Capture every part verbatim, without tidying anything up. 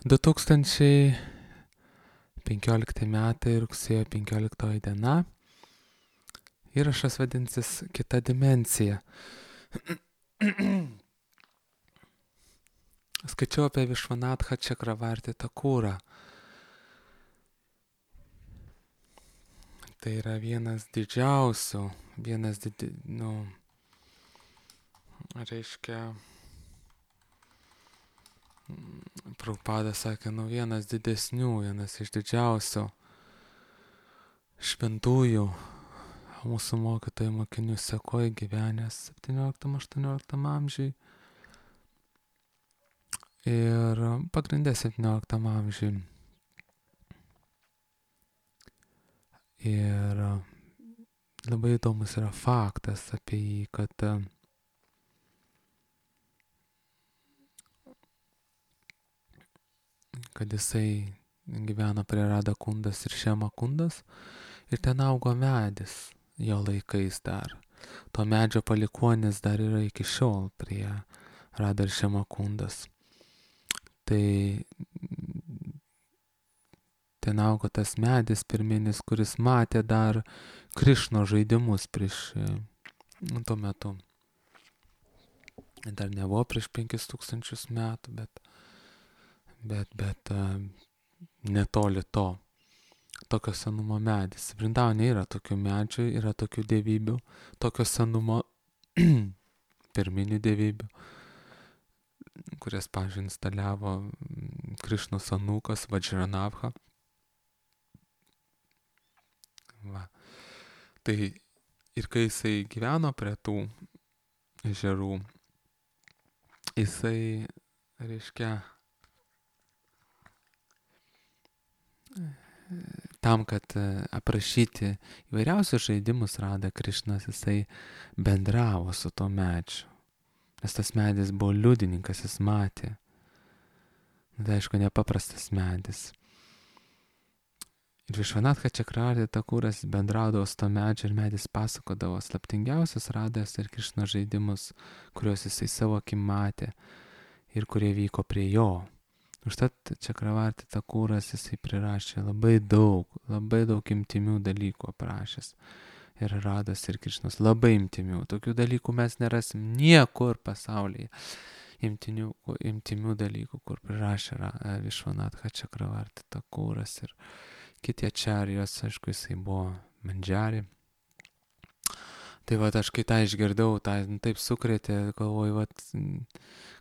du tūkstančiai penkiolikti metai, rugsėjo penkioliktoji diena. Įrašas vadinsis Kita dimensija. Skaičiau apie Višvanatha Čakravarti Takurą. Tai yra vienas didžiausių, vienas didi, nu, reiškia, Prabhupada sakė, nu, vienas didesnių, vienas iš didžiausių šventųjų mūsų mokytojų mokinių sekoje gyvenęs septynioliktam aštuonioliktam amžiui ir pagrindė septynioliktam amžiui. Ir labai įdomus yra faktas apie jį, kad kad jisai gyveno prie Rada Kundas ir Šema Kundas ir ten augo medis jo laikais dar. To medžio palikuonis dar yra iki šiol prie Rada ir Šema Kundas. Tai ten augo tas medis pirminis, kuris matė dar Krišno žaidimus prieš nu, tuo metu. Dar nebuvo prieš penkis tūkstančius metų, bet, bet, bet uh, netoli to. Tokio senumo medis. Vrindavane yra tokių medžių, yra tokių dievybių, tokio senumo pirminių dievybių, kurias, pavyzdžiui, instaliavo Krišnos anūkas Vajranabha. Va. Tai ir kai jisai gyveno prie tų ežerų, jisai, reiškia, tam, kad aprašyti įvairiausius žaidimus Rada Krišnas, jisai bendravo su to medžiu. Nes tas medis buvo liudininkas, jis matė. Tai aišku, nepaprastas medis. Ir Višvanatha Čakravarti Takuras bendraudavo su to medžiu ir medis pasakodavo slaptingiausius Rados ir Krišnos žaidimus, kuriuos jisai savo akim matė ir kurie vyko prie jo. Užtat Čakravarti Takuras jisai prirašė labai daug, labai daug imtimių dalykų aprašęs. Ir Rados ir Krišnos labai imtimių. Tokių dalykų mes nerasim niekur pasaulyje. Imtinių, imtimių dalykų, kur prirašė Višvanatha Čakravarti Takuras ir kiti ačarijos, aišku, jisai buvo Mandžari. Tai vat aš kai tą išgirdau, tą taip sukrėtė, galvoju, vat,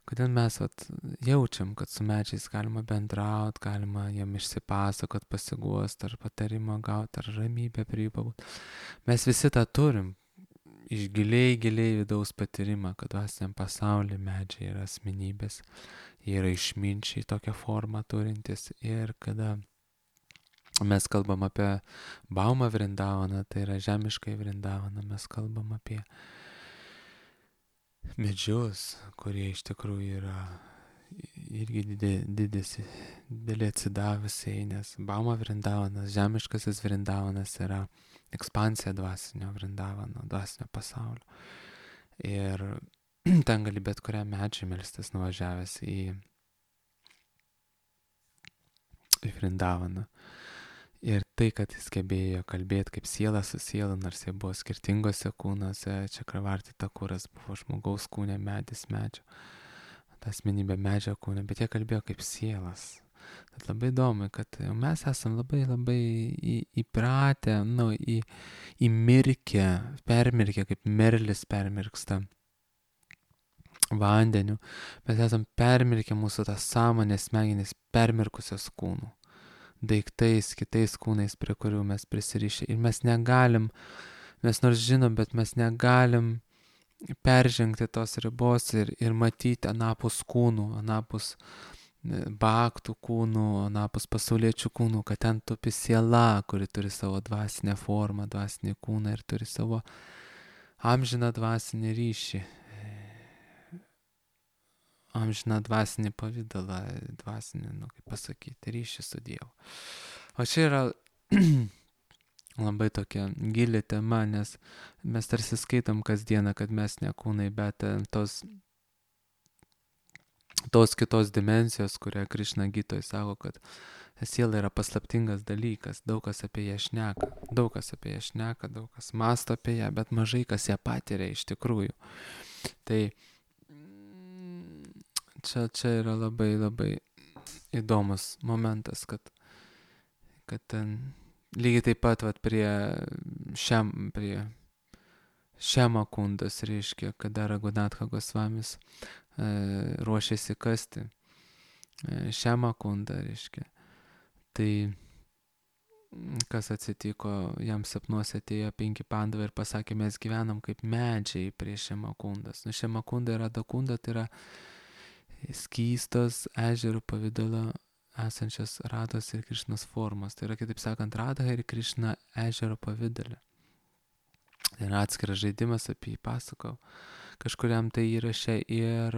kodėl mes vat, jaučiam, kad su medžiais galima bendrauti, galima jam išsipasakot, pasiguost, ar patarimą gauti, ar ramybę prie jų pabūt. Mes visi tą turim, iš giliai, giliai vidaus patyrimą, kad dvasiniam pasaulyje medžiai yra asmenybės, jie yra išminčiai tokią formą turintis ir kada mes kalbam apie Baumą Vrindavaną, tai yra žemiškai Vrindavaną, mes kalbam apie medžius, kurie iš tikrųjų yra irgi didis, didelį atsidavusiai, nes Bauma Vrindavanas, žemiškasis Vrindavanas yra ekspansija dvasinio Vrindavano, dvasinio pasaulio. Ir ten gali bet kurią medžią melstis nuvažiavęs į, į Vrindavaną. Ir tai, kad jis gebėjo kalbėti kaip siela su siela, nors jie buvo skirtingose kūnuose, Čakravarti Takuras buvo žmogaus kūne, medis medžio, ta asmenybė medžio kūne, bet jie kalbėjo kaip sielas. Tad labai įdomu, kad mes esam labai labai į, įpratę, nu, į, įmirkę, permirkę, kaip merlis permirksta vandeniu. Mes esam permirkę mūsų tą sąmonę, smegenis permirkusios kūnų. Daiktais, kitais kūnais, prie kurių mes prisirišę. Ir mes negalim, mes nors žinom, bet mes negalim peržengti tos ribos ir, ir matyti anapus kūnų, anapus bhaktų kūnų, anapus pasauliečių kūnų, kad ten tupi siela, kuri turi savo dvasinę formą, dvasinį kūną ir turi savo amžiną dvasinį ryšį. Amžiną dvasinį pavydalą, dvasinį, nu kaip pasakyti, ryšį su Dievu. O čia yra labai tokia gili tema, nes mes tarsi skaitom kasdieną, kad mes ne kūnai, bet tos tos kitos dimensijos, kurią Krišna Gitoj sako, kad siela yra paslaptingas dalykas, daug kas apie ją šneka, daug kas apie ją šneka, daug kas masto apie ją, bet mažai kas ją patiria iš tikrųjų. Tai čia, čia yra labai labai įdomus momentas, kad, kad ten lygiai taip pat vat, prie šiam, prie Šema kundas, reiškia, kada Raghunatha Gosvamis e, ruošėsi kasti e, Šema kundą, reiškia. Tai kas atsitiko, jam sapnuose atėjo penki pandavai ir pasakė, mes gyvenam kaip medžiai prie Šema kundas. Nu, Šema kunda ir Radha kunda tai yra skystos ežerų pavidalo esančios Radhos ir Krišnos formos. Tai yra, kitaip sakant, Radha ir Krišna ežero pavidale. Tai yra atskiras žaidimas, apie jį pasakau. Kažkuriam tai įraše ir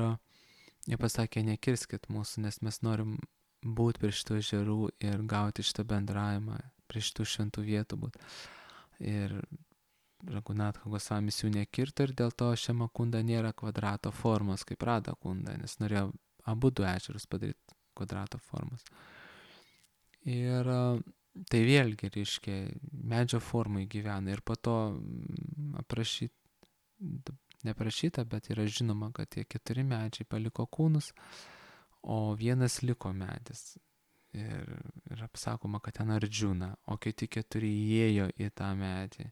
jie pasakė, nekirskit mūsų, nes mes norim būti prie šitų ežerų ir gauti šitą bendravimą, prie šitų šventų vietų būti. Ir Raghunatha Gosvamis jų nekirto ir dėl to Šema kunda nėra kvadrato formos kaip Radha kunda, nes norėjo abu du ežerus padaryti kvadrato formos. Ir tai vėlgi, reiškia, medžio formai gyvena ir po to aprašyta, neprašyta, bet yra žinoma, kad tie keturi medžiai paliko kūnus, o vienas liko medis. Ir, ir apsakoma, kad ten Ardžuna, o kiti keturi įėjo į tą medį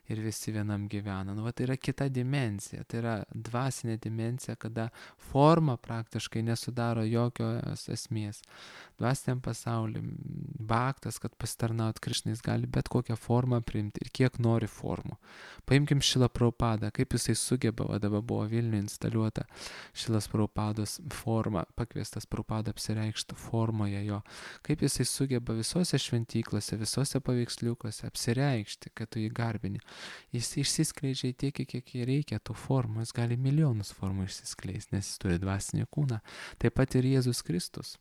ir visi vienam gyvena. Nu, va, tai yra kita dimensija, tai yra dvasinė dimensija, kada forma praktiškai nesudaro jokios esmės. Dvasiniam pasauliu bhaktas, kad pasitarnaut Krišnai, jis gali bet kokią formą priimti ir kiek nori formų. Paimkim Šilą Prabhupadą, kaip jisai sugeba, o dabar buvo Vilniuje instaliuota Šilas Prabhupados forma, pakviestas Prabhupada apsireikšti formoje jo, kaip jisai sugeba visose šventyklose, visose paveiksliukose apsireikšti, kad tu jį garbini. Jis išsiskleidžia tiek, kiek jį reikia tų formų, jis gali milijonus formų išsiskleisti, nes jis turi dvasinį kūną. Taip pat ir Jėzus Kristus.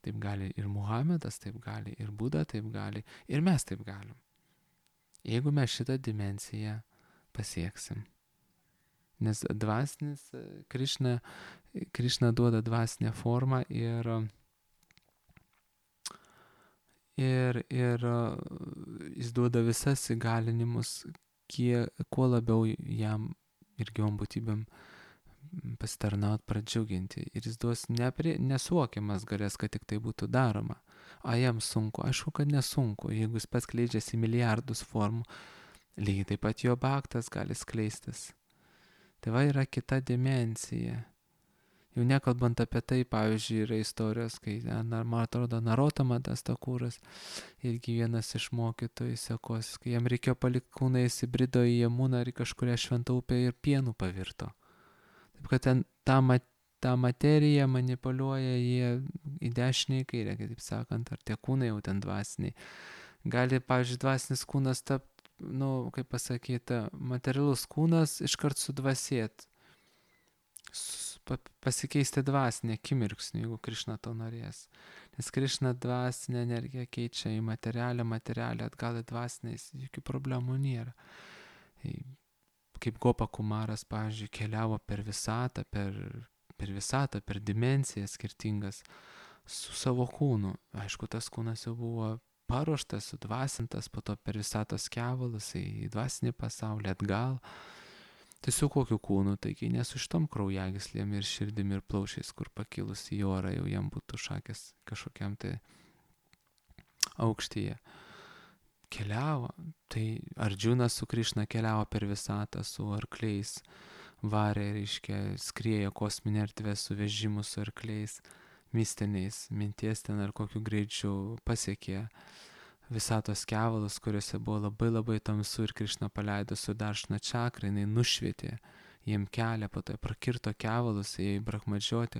Taip gali ir Muhamedas, taip gali ir Buda, taip gali ir mes taip galim. Jeigu mes šitą dimensiją pasieksim. Nes dvasinis, Krišna, Krišna duoda dvasinę formą ir ir, ir jis duoda visas įgalinimus, kie, kuo labiau jam ir gyvom būtybėm pasitarnaut, pradžiuginti. Ir jis duos nepri, nesuokiamas galės, kad tik tai būtų daroma. A jam sunku, aišku, kad nesunku, jeigu jis pats skleidžiasi milijardus formų, lygiai taip pat jo bhaktas gali skleistis. Tai va yra kita dimensija. Jau nekalbant apie tai, pavyzdžiui, yra istorijos, kai, man atrodo, Narottamadas Thakuras, irgi vienas iš mokytojų sekos, kai jam reikėjo palikti kūną, jis įbrido į Jamuną ir kažkuria šventą upę ir pienų pavirto. Taip kad ten tą, tą materiją manipuliuoja jie į dešinę, į kairę, kaip sakant, ar tie kūnai jau ten dvasiniai. Gali, pavyzdžiui, dvasinis kūnas tapti, nu, kaip pasakyti, materialus kūnas iškart sudvasėt. Pasikeisti dvasinę akimirksnį, jeigu Krišna to norės. Nes Krišna dvasinę energiją keičia į materialę, materialę atgal į dvasinę, jokių problemų nėra. Kaip Gopa Kumaras, pavyzdžiui, keliavo per visatą, per, per visatą, per dimencijas skirtingas su savo kūnu. Aišku, tas kūnas jau buvo paruoštas, sudvasintas, po to per visatos kevalus į dvasinį pasaulį atgal. Tai su kokiu kūnu, taigi ne su šitom kraujagyslėm ir širdim ir plaušiais, kur pakilus į orą jau jam būtų šakės kažkokiam tai aukštyje. Keliavo, tai Ardžunas su Krišna keliavo per visatą su arkliais, varė, reiškia, skriejo kosminė erdvė su vežimu su arkliais, mistiniais, minties ten ar kokiu greičiu pasiekė visatos kevalus, kuriuose buvo labai labai tamsu ir Krišna paleido su Daršna čakra, jinai nušvietė jiem kelią, po to prakirto kevalus, jie brahmadžioti.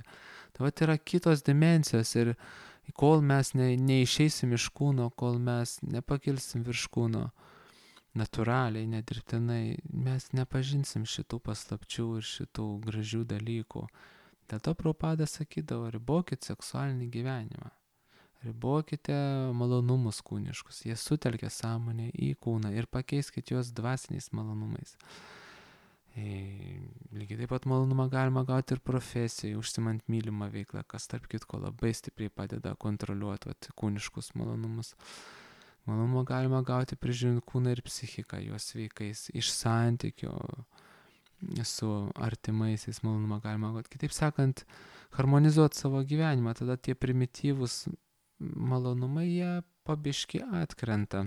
Tai vat yra kitos dimensijos ir kol mes ne, neišeisim iš kūno, kol mes nepakilsim virš kūno natūraliai, nedirbtinai, mes nepažinsim šitų paslapčių ir šitų gražių dalykų. Dėl to Prabhupada sakydavo, ribokit seksualinį gyvenimą. Ribokite malonumus kūniškus, jie sutelkia sąmonę į kūną ir pakeiskit juos dvasiniais malonumais. E, lygiai taip pat malonumą galima gauti ir profesijai, užsimant mylimą veiklą, kas tarp kitko labai stipriai padeda kontroliuoti vat, kūniškus malonumus. Malonumą galima gauti prižiūrint kūną ir psichiką, juos sveikais, iš santykio su artimaisiais malonumą galima gauti. Kitaip sakant, harmonizuoti savo gyvenimą, tada tie primityvūs malonumai jie pabiški atkrenta.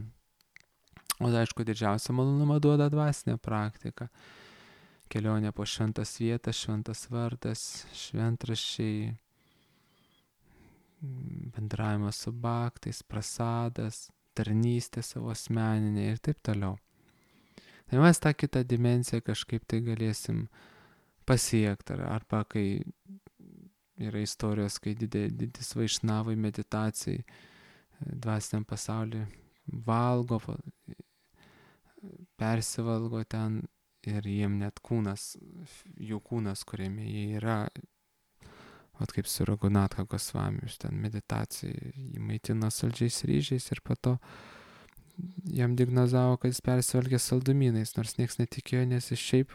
O aišku, didžiausią malonumą duoda dvasinė praktika. Kelionė po šventas vietas, šventas vardas, šventraščiai, bendravimas su baktais, prasadas, tarnystė savo asmeninė ir taip toliau. Tai mes tą kitą dimensiją kažkaip tai galėsim pasiekti. Arba kai yra istorijos, kai didis vaišnavai meditacijai dvasiniam pasauliu valgo, persivalgo ten ir jiem net kūnas, jų kūnas, kuriame jie yra, vat kaip su Raghunatha Gosvami, ten meditacijai, jį maitina saldžiais ryžiais ir po to jam diagnozavo, kad jis persivalgė saldumynais, nors nieks netikėjo, nes jis šiaip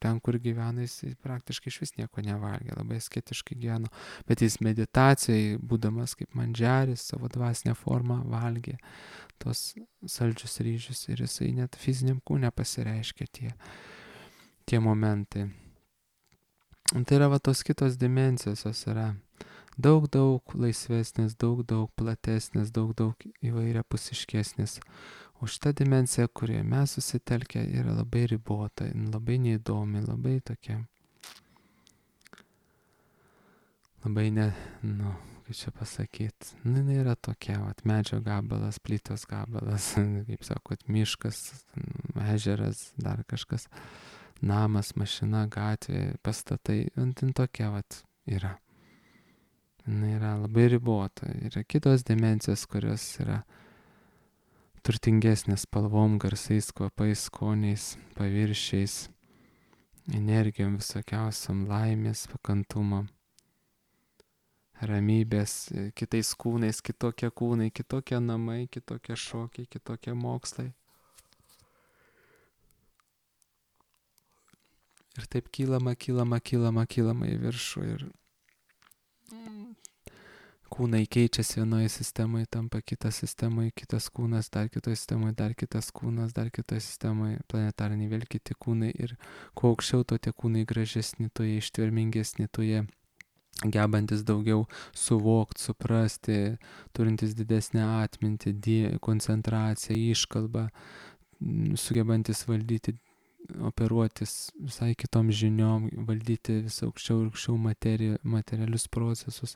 ten, kur gyvena, jis praktiškai iš vis nieko nevalgė, labai asketiškai gyveno, bet jis meditacijai, būdamas kaip mandžiaris, savo dvasinę formą valgė tos saldžius ryžius ir jisai net fiziniam kūne pasireiškia tie, tie momentai. Tai yra va tos kitos dimensijos, jos yra daug, daug laisvesnės, daug, daug platesnės, daug, daug įvairiapusiškesnės. O šita dimensija, kurioje mes susitelkę, yra labai ribota, labai neįdomi, labai tokia, labai ne, nu, kaip čia pasakyti, nu, jinai yra tokia, vat, medžio gabalas, plytos gabalas, kaip sakot, miškas, ežeras, dar kažkas, namas, mašina, gatvė, pastatai, ant tokia, vat, yra. Jis yra labai ribota. Yra kitos dimensijos, kurios yra turtingesnės spalvom, garsais, kvapais, skoniais, paviršiais, energijom visokiausiam, laimės, pakantumo, ramybės, kitais kūnais, kitokie kūnai, kitokie namai, kitokie šokiai, kitokie mokslai. Ir taip kylama, kylama, kylama, kylama į viršų ir kūnai keičiasi vienoje sistemoje, tampa kitas sistemoje, kitas kūnas, dar kitoje sistemoje, dar kitas kūnas, dar kitoje sistemoje, planetariniai vėl kiti kūnai ir kuo aukščiau, to tie kūnai gražesni, to jie ištvermingesni, to jie gebantis daugiau suvokti, suprasti, turintis didesnę atmintį, die, koncentraciją, iškalbą, sugebantis valdyti, operuotis visai kitom žiniom, valdyti vis aukščiau ir aukščiau materi, materialius procesus.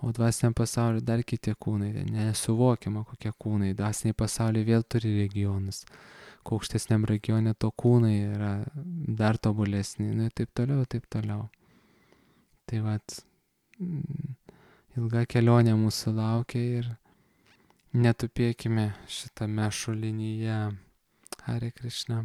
O dvasiniam pasauliu dar kiti kūnai, nesuvokiama kokie kūnai. Dvasiniai pasauliai vėl turi regionus. Kuo aukštesniam regione to kūnai yra dar tobulesni. Nu, taip toliau, taip toliau. Tai vat, ilga kelionė mūsų laukia ir netupėkime šitame šulinyje. Hare Krishna.